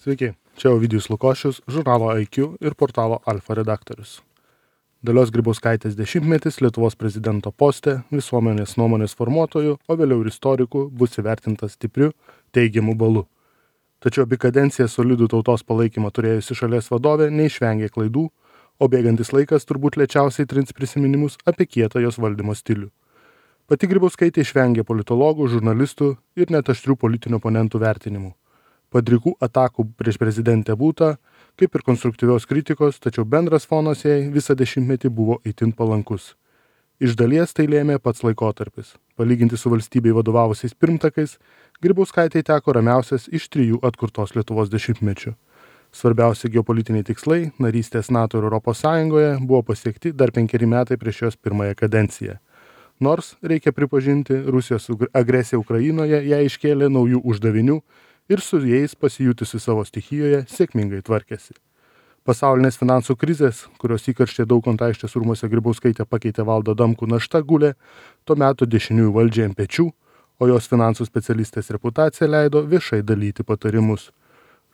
Sveiki, čia Ovidijus Lukošius, žurnalo IQ ir portalo Alfa redaktorius. Dalios Grybauskaitės 10-metis Lietuvos prezidento poste visuomenės nuomonės formuotojų, o vėliau ir istorikų bus įvertintas stipriu, teigiamu balu. Tačiau abi kadencijas solidų tautos palaikymą turėjusi šalies vadovė neišvengė klaidų, o bėgantis laikas turbūt lėčiausiai trins prisiminimus apie kietą jos valdymo stilių. Pati Grybauskaitė išvengė politologų, žurnalistų ir net aštrių politinių oponentų vertinimų. Padrikų atakų prieš prezidentę būta, kaip ir konstruktyvios kritikos, tačiau bendras fonas jai visą 10-metį buvo itin palankus. Iš dalies tai lėmė pats laikotarpis. Palyginti su valstybei vadovavusiais pirmtakais, Grybauskaitei teko ramiausias iš 3 atkurtos Lietuvos 10-mečių. Svarbiausi geopolitiniai tikslai, narystės NATO ir ES buvo pasiekti dar 5 metai prieš jos pirmąją kadenciją. Nors, reikia pripažinti, Rusijos agresija Ukrainoje ją iškėlė naujų uždavinių ir su jais pasijutusi savo stichijoje sėkmingai tvarkėsi. Pasaulinės finansų krizės, kurios įkarštė Daukanto aikštės rūmuose Grybauskaitė pakeitė Valdą Adamkų našta gulė tuo metu dešiniųjų valdžiai ant pečių, o jos finansų specialistės reputacija leido viešai dalyti patarimus.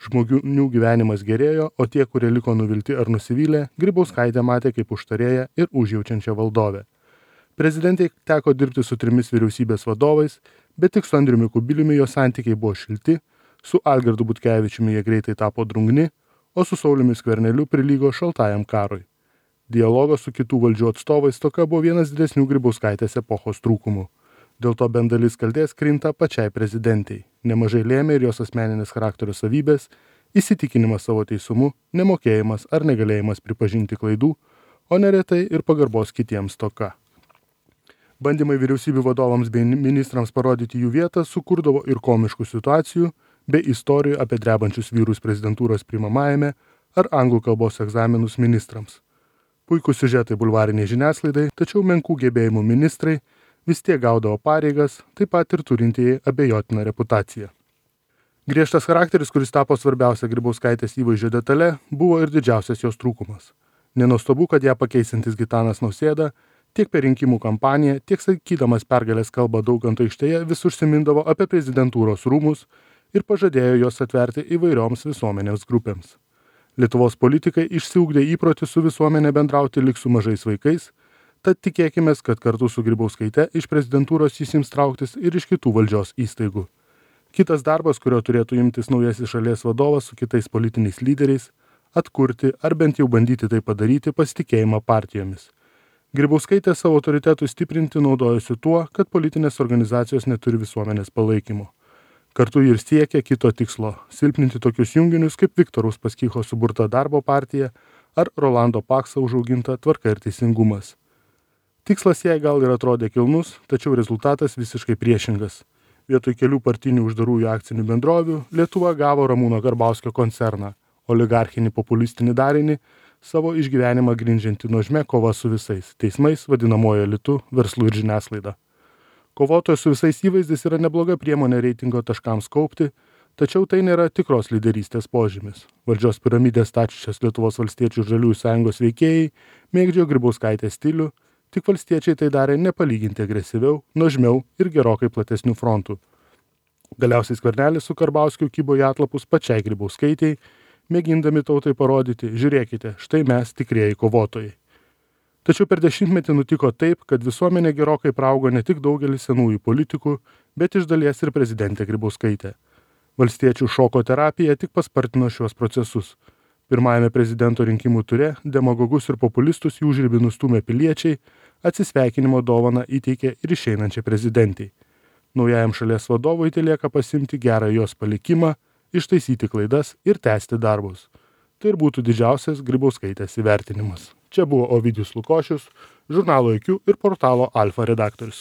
Žmonių gyvenimas gerėjo, o tie, kurie liko nuvilti ar nusivylę, Grybauskaitė matė kaip užtarėją ir užjaučiančią valdovę. Prezidentai teko dirbti su 3 vyriausybės vadovais, bet tik su Andriumi Kubiliumi jos santykiai buvo šilti, su Algirdu Butkevičiumi jie greitai tapo drungni, o su Sauliumi Skverneliu prilygo šaltajam karui. Dialogas su kitų valdžių atstovais tokia buvo vienas didesnių Grybauskaitės epochos trūkumų. Dėl to bent dalis kaltės krinta pačiai prezidentei. Nemažai lėmė ir jos asmeninės charakterio savybės, įsitikinimas savo teisumu, nemokėjimas ar negalėjimas pripažinti klaidų, o neretai ir pagarbos kitiems stoka. Bandymai vyriausybių vadovams bei ministrams parodyti jų vietą sukurdavo ir komiškų situacijų, bei istorijų apie drebančius vyrus prezidentūros priimamajame ar anglų kalbos egzaminus ministrams. Puikūs siužetai bulvariniai žiniasklaidai, tačiau menkų gebėjimų ministrai vis tiek gaudavo pareigas, taip pat ir turintieji abejotiną reputaciją. Griežtas charakteris, kuris tapo svarbiausia Grybauskaitės įvaizdžio detale, buvo ir didžiausias jos trūkumas. Nenuostabu, kad ją pakeisintis Gitanas Nausėda tiek per rinkimų kampaniją, tiek sakydamas pergalės kalbą Daukanto aikštėje vis užsimindavo apie prezidentūros rūmus ir pažadėjo juos atverti įvairioms visuomenės grupėms. Lietuvos politikai išsiugdė įprotį su visuomenė bendrauti lyg su mažais vaikais, tad tikėkimės, kad kartu su Grybauskaite iš prezidentūros jis ims trauktis ir iš kitų valdžios įstaigų. Kitas darbas, kurio turėtų imtis naujasis šalies vadovas su kitais politiniais lyderiais – atkurti ar bent jau bandyti tai padaryti pasitikėjimą partijomis. Grybauskaitė savo autoritetui stiprinti naudojosi tuo, kad politinės organizacijos neturi visuomenės palaikymo. Kartu ir siekia kito tikslo – silpninti tokius junginius kaip Viktoro Uspaskicho suburta Darbo partija ar Rolando Pakso užauginta Tvarka ir teisingumas. Tikslas jai gal ir atrodė kilnus, tačiau rezultatas visiškai priešingas. Vietoj kelių partinių uždarųjų akcinių bendrovių Lietuva gavo Ramūno Karbauskio koncerną, oligarchinį populistinį darinį, savo išgyvenimą grindžiantį nuožmę kova su visais – teismais, vadinamojo elitu, verslu ir žiniasklaida. Kovotojas su visais įvaizdis yra nebloga priemonė reitingo taškams kaupti, tačiau tai nėra tikros lyderystės požymis. Valdžios piramidės stačiusios Lietuvos valstiečių ir žaliųjų sąjungos veikėjai mėgdžiojo Grybauskaitės stilių, tik valstiečiai tai darė nepalyginti agresyviau, nuožmiau ir gerokai platesnių frontų. Galiausiai Skvernelis su Karbauskiu kybo į atlapus pačiai Grybauskaitei, mėgindami tautai parodyti, žiūrėkite, štai mes tikrieji kovotojai. Tačiau per 10-metį nutiko taip, kad visuomenė gerokai praaugo ne tik daugelis senųjų politikų, bet iš dalies ir prezidentė Grybauskaitė. Valstiečių šoko terapija tik paspartino šiuos procesus. Pirmajame prezidento rinkimų ture demagogus ir populistus jų žirbi nustūmė piliečiai, atsisveikinimo dovaną įteikė ir išeinančiai prezidentei. Naujajam šalies vadovui telieka pasimti gerą jos palikimą, ištaisyti klaidas ir tęsti darbus. Tai ir būtų didžiausias Grybauskaitės įvertinimas. Čia buvo Ovidijus Lukošius, žurnalo IQ ir portalo Alfa redaktorius.